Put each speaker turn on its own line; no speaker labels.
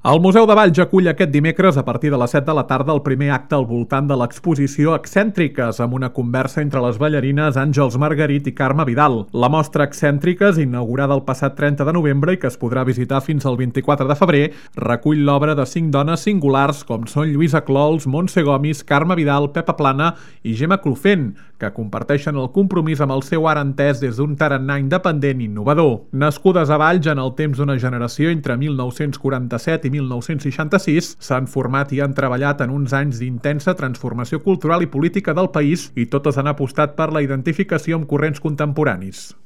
El Museu de Valls acull aquest dimecres a partir de les 7 de la tarda el primer acte al voltant de l'exposició Excèntriques, amb una conversa entre les ballarines Àngels Margarit i Carme Vidal. La mostra Excèntriques, inaugurada el passat 30 de novembre i que es podrà visitar fins al 24 de febrer, recull l'obra de 5 dones singulars com són Lluïsa Clols, Montse Gomis, Carme Vidal, Pepa Plana i Gemma Clofent, que comparteixen el compromís amb el seu art entès des d'un tarannà independent i innovador. Nascudes a Valls en el temps d'una generació entre 1947 i 1966, s'han format i han treballat en uns anys d'intensa transformació cultural i política del país i totes han apostat per la identificació amb corrents contemporanis.